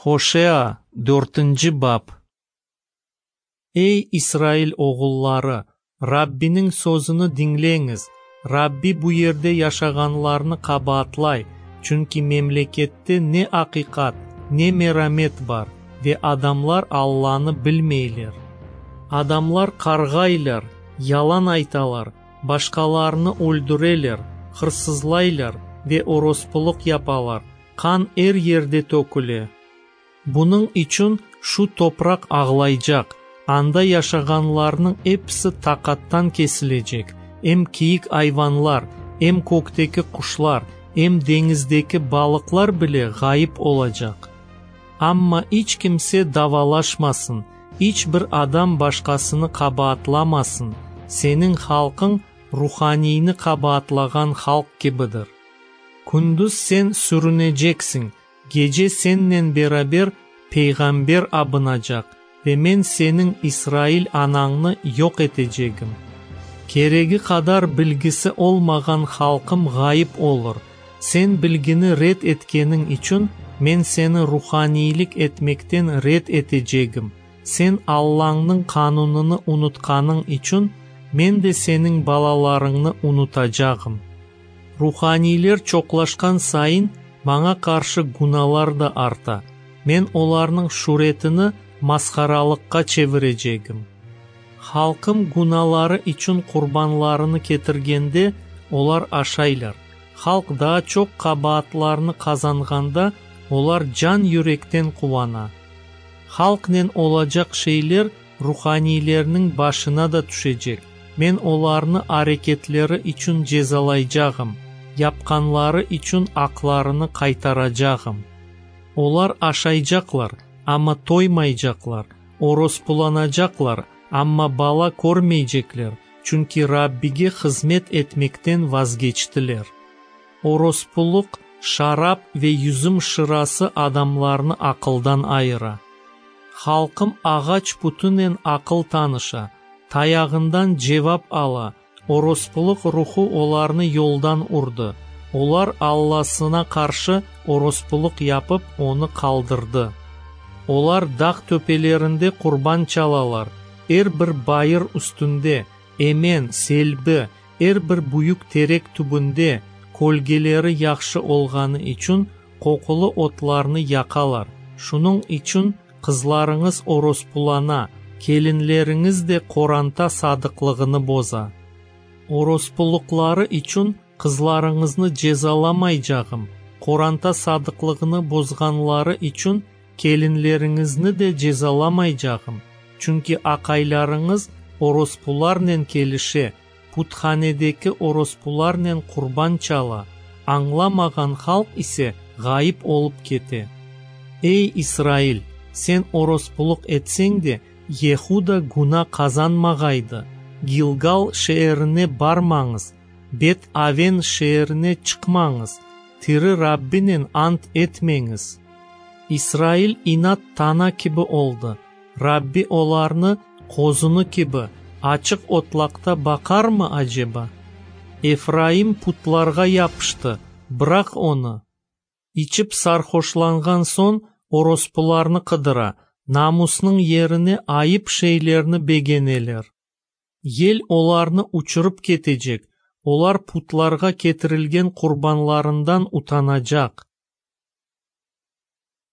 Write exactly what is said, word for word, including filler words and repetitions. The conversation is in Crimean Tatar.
Hoşea, dörtünci bap. Ey, İsrail oğulları, Rabbiniñ sözüni diñleñiz! Rabbi bu yerde yaşağanlarnı qabaatlay, çünki memlekette ne aqiqat, ne meramet bar, ve adamlar Allanı bilmeyler. Adamlar qarğaylar, yalan aytalar, başqalarını öldüreler, hırsızlaylar ve orospulıq yapalar, qan er yerde töküle. Bunıñ içün şu topraq ağlaycaq, anda yaşağanlarnıñ episi taqattan kesilecek, em kiyik ayvanlar, em kökteki quşlar, em deñizdeki balıqlar bile ğayıp olacaq. Amma iç kimse davalaşmasın, iç bir adam başqasını qabaatlamasın, seniñ halqıñ ruhaniyni qabaatlağan halq kibidir. Kündüz sen sürüneceksiñ, gece sennen beraber peyğamber abınacaq, ve Men seniñ İsrail anañnı yoq etecegim. Keregi qadar bilgisi olmağan halqım ğayıp olur. Sen bilgini red etkeniñ içün, Men seni ruhaniylik etmekten red etecegim. Sen Allañnıñ qanunını unutqanıñ içün, Men de seniñ balalarıñnı unutacağım. Ruhaniyler çoqlaşqan sayın, Maña qarşı günalar da arta. Men olarnıñ şüretini masharalıqqa çevirecegim. Halqım günaları içün qurbanlarını ketirgende, olar aşaylar. Halq daa çoq qabaatlarnı qazanğanda, olar can-yürekten quvana. Halqnen olacaq şeyler ruhaniylerniñ başına da tüşecek. Men olarnı areketleri içün cezalaycağım, yapqanları içün aqlarını qaytaracağım. Olar aşaycaqlar, amma toymaycaqlar, orospulanacaqlar, amma bala körmeycekler, çünki Rabbige hızmet etmekten vazgeçtiler. Orospulıq, şarap ve yüzüm şırası adamlarnı aqıldan ayıra. Halqım ağaç putunen aqıl tanışa, tayağından cevap ala, orospulıq ruhu olarnı yoldan urdı. Olar Allasına qarşı orospulıq yapıp, onı qaldırdı. Olar dağ töpelerinde qurban çalalar, er bir bayır üstünde, emen, selbi, er bir büyük terek tübünde, kölgeleri yahşı olğanı içün, qoqulı otlarnı yaqalar. Şunıñ içün qızlarıñız orospulana, kelinleriñiz de qoranta sadıqlığını boza. Orospulıqları içün qızlarıñıznı cezalamaycağım, qoranta sadıqlığını bozğanları içün kelinleriñizni de cezalamaycağım, çünki aqaylarıñız orospularnen kelişe, puthanedeki orospularnen qurban çala, añlamağan halq ise ğayıp olıp kete. Ey, İsrail, sen orospulıq etseñ de, Yehuda güna qazanmağaydı. Gilgal şeerine barmañız, Bet-Aven şeerine çıqmañız, tiri Rabbinen ant etmeñiz. İsrail inat tana kibi oldı. Rabbi olarnı qozunı kibi açıq otlaqta baqarmı aceba? Efraim putlarğa yapıştı, bıraq onı. İçip sarhoşlanğan soñ orospularnı qıdıra, namusnıñ yerine ayıp şeylerni begeneler. Yel olarnı uçurıp ketecek, olar putlarğa ketirilgen qurbanlarından utanacaq.